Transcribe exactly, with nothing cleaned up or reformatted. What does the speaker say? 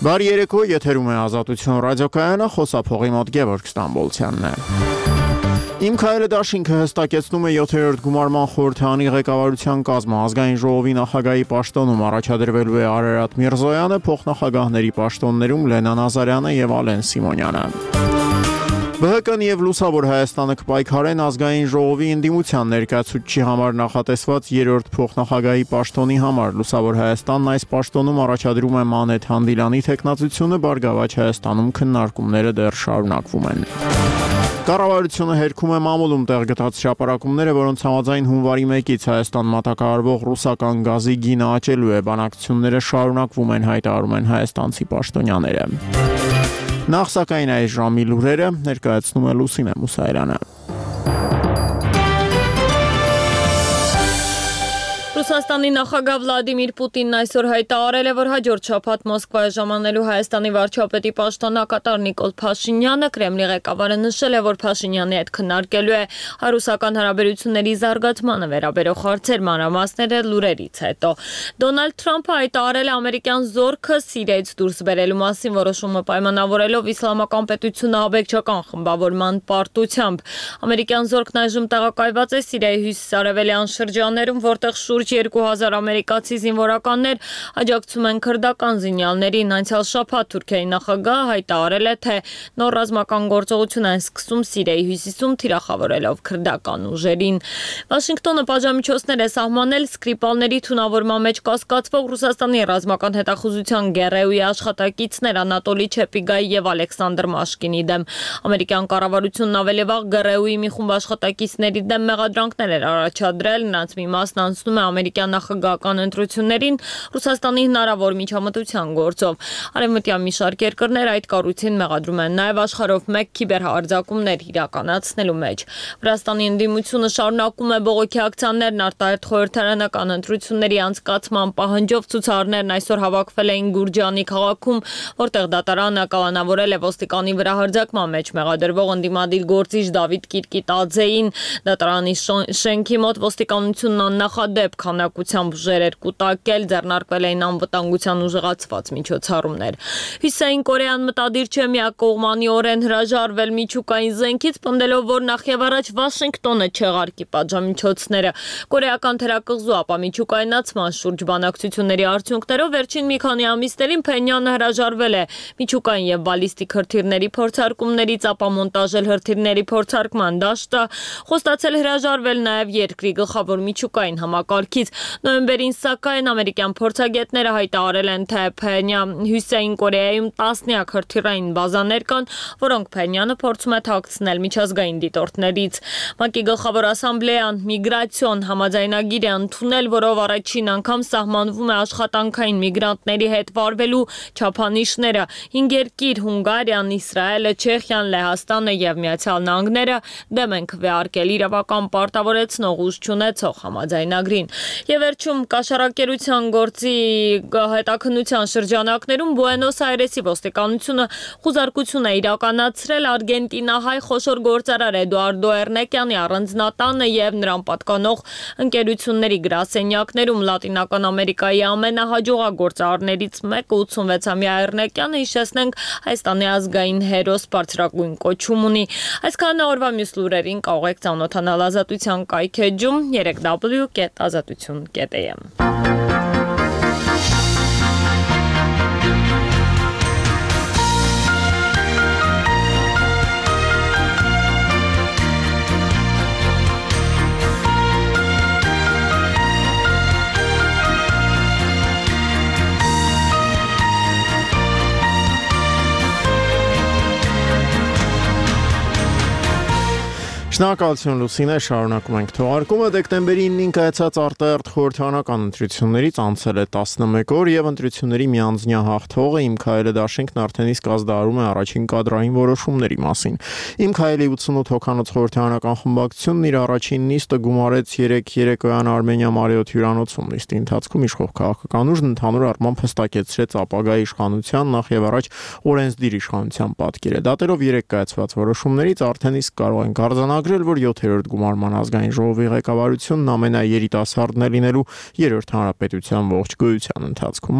Բարի երեկո, եթերում է Ազատություն ռադիոկայանը, խոսափողի մոտ Գևորգ Ստամբոլցյանն է։ Իմ քայլը դաշինքը հստակեցնում է յոթերորդ գումարման խորհրդարանի ղեկավարության կազմը, ազգային ժողովի նախագահի պաշտոնում առաջադրվելու է Արարատ Միրզոյանը, փոխնախագահների պաշտոններում Լենա Նազարյանը եւ Ալեն Սիմոնյանը։ Բը հը կն եւ Լուսավոր Հայաստանը կպայքարեն ազգային ժողովի ընդդիմության ներկայացուցչի համար նախատեսված երրորդ փոխնախագահի պաշտոնի համար։ Լուսավոր Հայաստանն այս պաշտոնում առաջադրում է Մանեթ Հանդիլյանի թեկնածությունը, Բարգավաճ Հայաստանում քննարկումները դեռ շարունակվում են։ Կառավարությունը հերքում է մամուլում տեղ գտած հրապարակումները, որոնց համաձայն հունվարի մեկից Հայաստան մատակարարվող ռուսական գազի գինը աճելու է, բանակցությունները շարունակվում են, հայտարարում են հայաստանցի պաշտոնյաները։ Նախ սակայն այս ժամի լուրերը ներկայացնում է Լուսինե Մուսայրյանը։ Ռուսաստանի նախագահ Վլադիմիր Պուտինն այսօր հայտարարել է, որ հաջորդ շաբաթ Մոսկվա ժամանելու Հայաստանի վարչապետի պաշտոնակատար Նիկոլ Փաշինյանը Կրեմլի ղեկավարը նշել է, որ Փաշինյանի հետ քննարկելու է հայ-ռուսական հարաբերությունների զարգացմանը վերաբերող հարցեր, մանրամասները լուրերից հետո։ Դոնալդ Թրամփը հայտարարել է ամերիկյան զորքը Սիրիայից դուրս բերելու մասին, որոշումը պայմանավորելով իսլամական պետությունը աբեկչական խմբավորման պարտությամբ։ Ամերիկյան զորքն այժմ տեղակայված է Սիրիայի հյուսիսարևելյան շրջաններում, որտեղ շուրջ երկու հազար ամերիկացի զինվորականներ աջակցում են քրդական զինյալներին։ Անցյալ շաբաթ Թուրքիայի նախագահը հայտարարել է, թե նոր ռազմական գործողություն են սկսում Սիրիայի հյուսիսում, թիրախավորելով քրդական ուժերին։ Վաշինգտոնը պատժամիջոցներ է սահմանել Սկրիպալների թունավորման մեջ կասկածվող Ռուսաստանի ռազմական հետախուզության Գերեուի աշխատակիցներ Անատոլի Չեպիգայի եւ Ալեքսանդր Մաշկինի դեմ։ Ամերիկյան կառավարությունն ավելի վաղ Գերեուի մի խումբ աշխատակիցների դեմ մեղադրանքներ էր առաջադրել, նրանց մի մասն անցնում է ամերիկյան նախագահական ընտրություններին Ռուսաստանի հնարավոր միջամտության գործով։ Արևմտյան մի շարք երկրներ այդ կառույցին մեղադրում են նաև աշխարհով մեկ քիբերհարձակումներ իրականացնելու մեջ։ Վրաստանի ընդդիմությունը շարունակում է բողոքի ակցիաներն արտահերթ խորհրդարանական ընտրությունների անցկացման պահանջով։ Ցուցարարներն այսօր հավաքվել էին Գուրջանի քաղաքում, որտեղ դատարանը կալանավորել է ոստիկանի վրա հարձակման մեջ մեղադրվող ընդդիմադիր գործիչ Դավիթ Կիրկիտաձեին։ Դատարանի շենքի մոտ ոստիկանությունն աննախադեպ քանակությամբ ուժեր էր կուտակել, ձեռնարկվել էին անվտանգության ուժեղացված միջոցառումներ։ Հյուսիսային Կորեան մտադիր չէ միակողմանիորեն հրաժարվել միջուկային զենքից, պնդելով, որ նախևառաջ Վաշինգտոնը չեղարկի պատժամիջոցները։ Կորեական թերակղզու ապամիջուկայնացման շուրջ բանակցությունների արդյունքներով վերջին մի քանի ամիսներին Փենյանը հրաժարվել է միջուկային եւ բալիստիկ հրթիռների փորձարկումներից, ապամոնտաժել հրթիռների փորձարկման դաշտը, խոստացել հրաժարվել նաեւ երկրի գլխավոր միջուկային համակարգից։ Նոյեմբերին սակայն ամերիկյան փորձագետները հայտարարել են, թե Հյուսիսային Կորեայում տասնյակ հրթիռային բազաներ կան, որոնք Փենյանը փորձում է թաքցնել միջազգային դիտորդներից։ ՄԱԿ-ի գլխավոր ասամբլեան միգրացիոն համաձայնագիր է ընդունել, որով առաջին անգամ սահմանվում է աշխատանքային միգրանտների հետ վարվելու չափանիշները։ Հինգ երկիր՝ Հունգարիան, Իսրայելը, Չեխիան, Լեհաստանը եւ Միացյալ Նահանգները դեմ են քվեարկել իրավական պարտավորեցնող ուժ չունեցող համաձայնագրին։ Եվ վերջում կաշառակերության գործի հետաքննության շրջանակներում Բուենոս Այրեսի ոստիկանությունը խուզարկություն է իրականացրել արգենտինահայ խոշոր գործարար Էդուարդո Էրնեկյանի առանձնատանը եւ նրան պատկանող ընկերությունների գրասենյակներում։ Լատինական Ամերիկայի ամենահաջողակ գործարարներից մեկը ութսունվեցամյա Էրնեկյանը, հիշեցնենք, Հայաստանի ազգային հերոս բարձրագույն կոչում ունի։ Այսքանը օրվա մյուս լուրերին կարող եք ծանոթանալ Ազատության կայքեջում երեք w կետ ազատություն կետ am։ Շնորհակալություն Լուսինե, շարունակում ենք թողարկումը։ Դեկտեմբերի ինին կայացած արտահերթ խորհրդարանական ընտրություններից անցել է տասնմեկ օր եւ ընտրությունների միանձնյա հաղթողը Իմ քայլը դաշինքն արդեն իսկ ազդարարում է առաջին կադրային որոշումների մասին։ Իմ քայլի ութսունութ հոգանոց խորհրդարանական խմբակցությունն իր առաջին նիստը գումարեց երեկ երեկոյան Արմենիա Մարիոթ հյուրանոցում։ Նիստի ընթացքում իշխող քաղաքական ուժն ընդհանուր առմամբ հստակեցրեց ապագա իշխանության նախ եւ առաջ օրենսդիր իշխանության պատկերը։ Դատելով երեք կայացված որոշումներից արդեն իսկ կարող ենք արձանագրել, որ յոթերորդ գումարման ազգային ժողովի ղեկավարությունն ամենաերիտասարդն է լինելու երրորդ հանրապետության ողջ գոյության ընթացքում։